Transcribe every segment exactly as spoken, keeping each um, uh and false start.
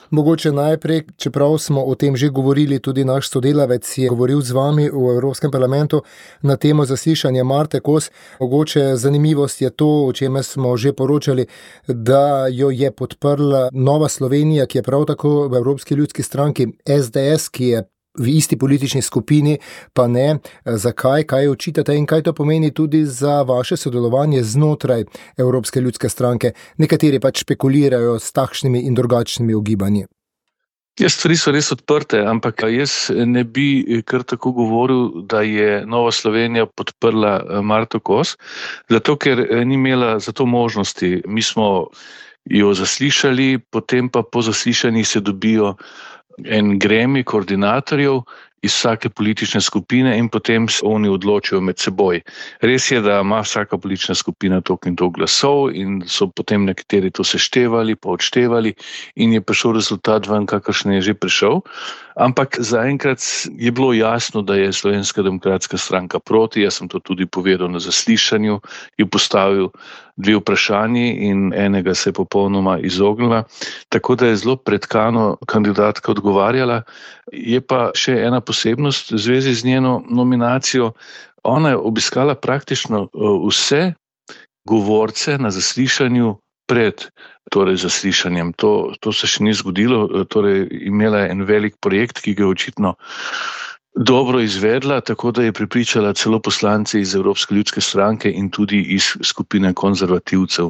Mogoče najprej, čeprav smo o tem že govorili, tudi naš sodelavec je govoril z vami v Evropskem parlamentu na temo zaslišanja Marte Kos. Mogoče zanimivost je to, o čemer smo že poročali, da jo je podprla Nova Slovenija, ki je prav tako v Evropski ljudski stranki, es de es, ki je v isti politični skupini, pa ne. Zakaj, kaj očitate in kaj to pomeni tudi za vaše sodelovanje znotraj Evropske ljudske stranke? Nekateri pač špekulirajo s takšnimi in drugačnimi ugibanji. Ja, stvari so res odprte, ampak jaz ne bi kar tako govoril, da je Nova Slovenija podprla Marto Kos, zato ker ni imela za to možnosti. Mi smo jo zaslišali, potem pa po zaslišanjih se dobijo en gremij koordinatorjev iz vsake politične skupine in potem se oni odločijo med seboj. Res je, da ima vsaka politična skupina toliko in toliko glasov in so potem nekateri to seštevali, pa odštevali in je prišel rezultat ven, kakršen je že prišel. Ampak zaenkrat je bilo jasno, da je Slovenska demokratska stranka proti. Jaz sem to tudi povedal na zaslišanju, je postavil dve vprašanji in enega se je popolnoma izognila. Tako da je zelo pretkano kandidatka odgovarjala. Je pa še ena posebnost v zvezi z njeno nominacijo. Ona je obiskala praktično vse govorce na zaslišanju pred torej zaslišanjem. To, to se še ni zgodilo, torej imela je en velik projekt, ki ga je očitno dobro izvedla, tako da je prepričala celo poslance iz Evropske ljudske stranke in tudi iz skupine konzervativcev.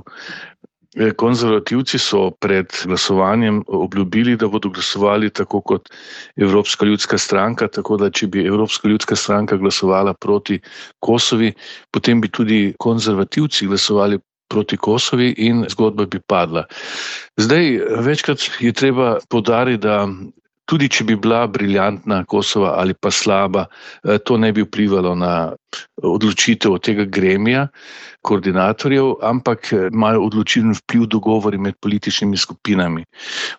Konzervativci so pred glasovanjem obljubili, da bodo glasovali tako kot Evropska ljudska stranka, tako da če bi Evropska ljudska stranka glasovala proti Kosovi, potem bi tudi konzervativci glasovali proti Kosovi in zgodba bi padla. Zdaj, večkrat je treba poudariti, da tudi če bi bila briljantna Kosova ali pa slaba, to ne bi vplivalo na odločitev tega gremija, koordinatorjev, ampak imajo odločilen vpliv dogovori med političnimi skupinami.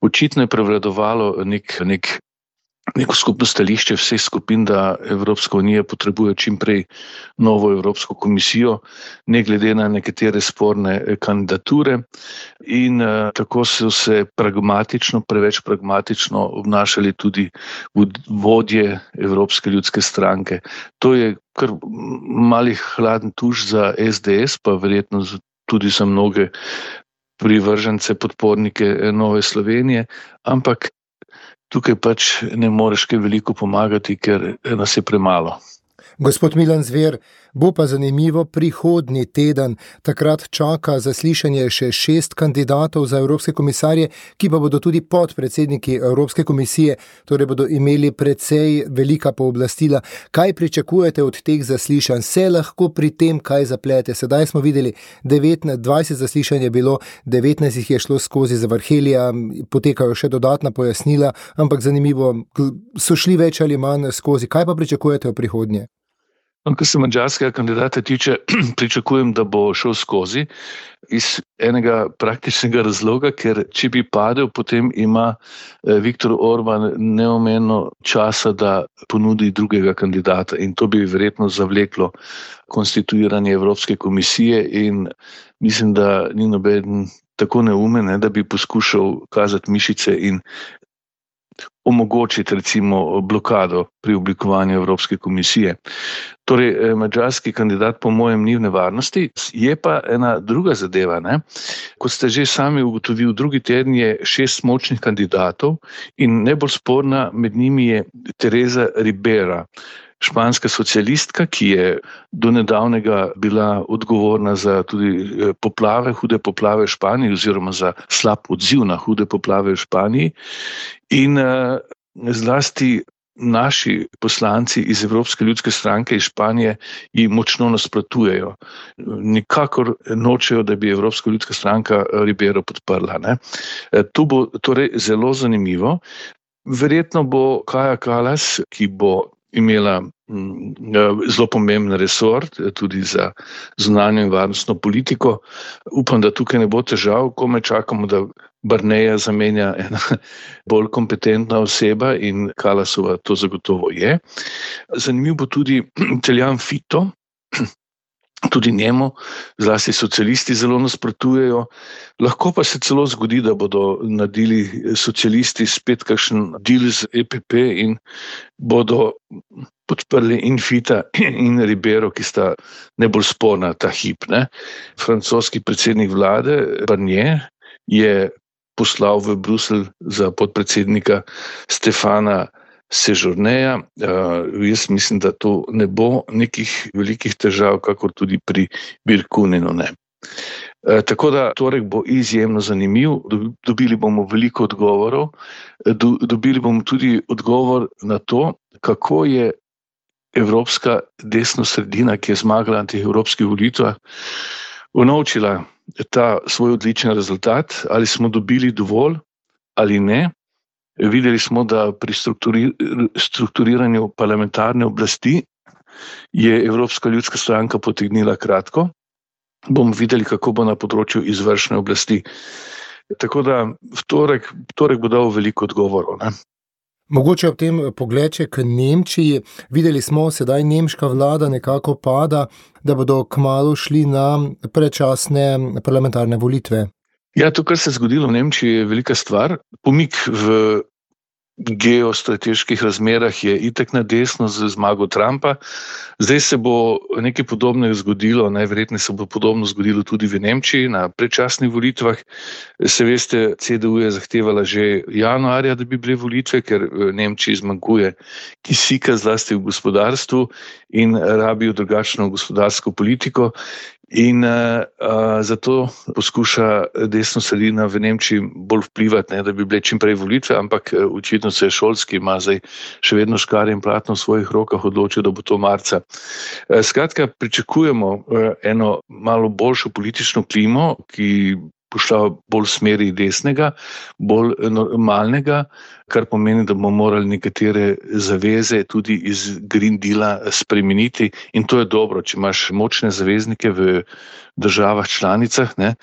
Očitno je prevladovalo nek, nek, neko skupno stališče vseh skupin, da Evropska unija potrebuje čim prej novo Evropsko komisijo, ne glede na nekatere sporne kandidature. In uh, tako so se pragmatično, preveč pragmatično obnašali tudi vodje Evropske ljudske stranke. To je kar malih hladen tuš za es de es, pa verjetno tudi za mnoge privržence, podpornike Nove Slovenije, ampak tukaj pač ne moreš kaj veliko pomagati, ker nas je premalo. Gospod Milan Zver, bo pa zanimivo prihodnji teden. Takrat čaka zaslišanje še šest kandidatov za evropske komisarje, ki pa bodo tudi podpredsedniki Evropske komisije, torej bodo imeli precej velika pooblastila. Kaj pričakujete od teh zaslišanj? Se lahko pri tem kaj zaplete? Sedaj smo videli devetnajst, dvajset zaslišanj je bilo, devetnajst jih je šlo skozi zavrhelja, potekajo še dodatna pojasnila, ampak zanimivo, so šli več ali manj skozi. Kaj pa pričakujete v prihodnje? Kar se madžarskega kandidata tiče, pričakujem, da bo šel skozi iz enega praktičnega razloga, ker če bi padel, potem ima Viktor Orban neomejeno časa, da ponudi drugega kandidata in to bi verjetno zavleklo konstituiranje Evropske komisije in mislim, da ni noben tako neumen, da bi poskušal kazati mišice in omogočiti recimo blokado pri oblikovanju Evropske komisije. Torej, madžarski kandidat po mojem ni v nevarnosti, je pa ena druga zadeva. Ne? Kot ste že sami ugotovili, drugi teden je šest močnih kandidatov in najbolj sporna med njimi je Teresa Ribera, španska socialistka, ki je do nedavnega bila odgovorna za tudi poplave, hude poplave v Španiji oziroma za slab odziv na hude poplave v Španiji. In uh, zlasti naši poslanci iz Evropske ljudske stranke iz Španije ji močno nasprotujejo. Nikakor nočejo, da bi Evropska ljudska stranka Ribero podprla. Ne? To bo torej zelo zanimivo. Verjetno bo Kaja Kallas, ki bo imela zelo pomemben resor, tudi za zunanjo in varnostno politiko. Upam, da tukaj ne bo težav, ko me čakamo, da Barneja zamenja ena bolj kompetentna oseba in Kallasova to zagotovo je. Zanimiv bo tudi Italijan Fito, tudi njemu, zlasti socialisti zelo nasprotujejo. Lahko pa se celo zgodi, da bodo naredili socialisti spet kakšen deal z E P P in bodo podprli in Fita in Ribero, ki sta najbolj sporna ta hip. Ne. Francoski predsednik vlade Barnier je poslal v Bruselj za podpredsednika Stefana Sejourneja. Uh, jaz mislim, da to ne bo nekih velikih težav, kakor tudi pri Birkunenu ne. Uh, tako da torek bo izjemno zanimiv, dobili bomo veliko odgovorov, do, dobili bomo tudi odgovor na to, kako je evropska desna sredina, ki je zmagala na teh evropskih volitvah, unovčila ta svoj odličen rezultat, ali smo dobili dovolj ali ne. Videli smo, da pri strukturiranju parlamentarne oblasti je Evropska ljudska stranka potegnila kratko. Bomo videli, kako bo na področju izvršne oblasti. Tako da v torek, torek bo dal veliko odgovorov. Ne? Mogoče ob tem pogledče k Nemčiji. Videli smo, sedaj nemška vlada nekako pada, da bodo kmalu šli na predčasne parlamentarne volitve. Ja, to, kar se je zgodilo v Nemčiji, je velika stvar. Pomik v geostrateških razmerah je itak na desno z zmago Trumpa. Zdaj se bo nekaj podobnega zgodilo, najverjetneje se bo podobno zgodilo tudi v Nemčiji na predčasnih volitvah. Se veste, C D U je zahtevala že januarja, da bi bile volitve, ker v Nemčiji zmanjkuje kisika zlasti v gospodarstvu in rabijo drugačno gospodarsko politiko. In uh, uh, zato poskuša desno sredina v Nemčiji bolj vplivati, ne, da bi bile čim prej volitve, ampak uh, očitno se je Scholz, ki ima zdaj še vedno škarje in platno v svojih rokah, odločil, da bo to marca. Uh, skratka, pričakujemo uh, eno malo boljšo politično klimo, ki bo šla bolj v smeri desnega, bolj normalnega, kar pomeni, da bomo morali nekatere zaveze tudi iz Green Deala spremeniti in to je dobro, če imaš močne zaveznike v državah članicah, ne,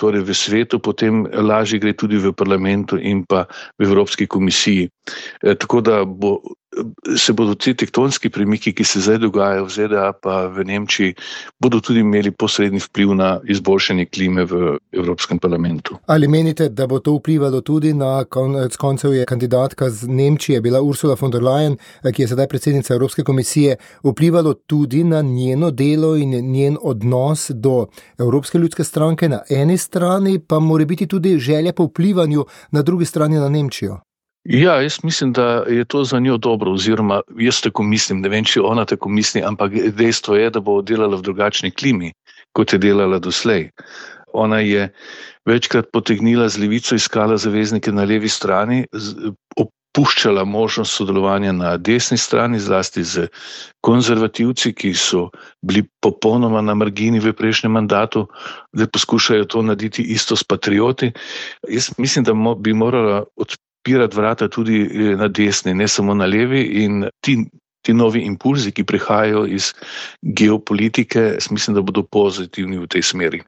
torej v svetu, potem lažje gre tudi v parlamentu in pa v Evropski komisiji. E, tako da bo, se bodo ti tektonski premiki, ki se zdaj dogajajo v Z D A pa v Nemčiji, bodo tudi imeli posredni vpliv na izboljšanje klime v Evropskem parlamentu. Ali menite, da bo to vplivalo tudi na konec koncev je kandidatka z Nemčije, bila Ursula von der Leyen, ki je sedaj predsednica Evropske komisije, vplivalo tudi na njeno delo in njen odnos do Evropske ljudske stranke na eni strani, pa mora biti tudi želja po vplivanju na drugi strani na Nemčijo? Ja, jaz mislim, da je to za njo dobro, oziroma jaz tako mislim, ne vem, če ona tako misli, ampak dejstvo je, da bo delala v drugačni klimi, kot je delala doslej. Ona je večkrat potegnila z levico, iskala zaveznike na levi strani, opuščala možnost sodelovanja na desni strani, zlasti z konzervativci, ki so bili popolnoma na margini v prejšnjem mandatu, da poskušajo to narediti isto s patrioti. Jaz mislim, da bi morala odpirati vrata tudi na desni, ne samo na levi, in ti, ti novi impulzi, ki prihajajo iz geopolitike, mislim, da bodo pozitivni v tej smeri.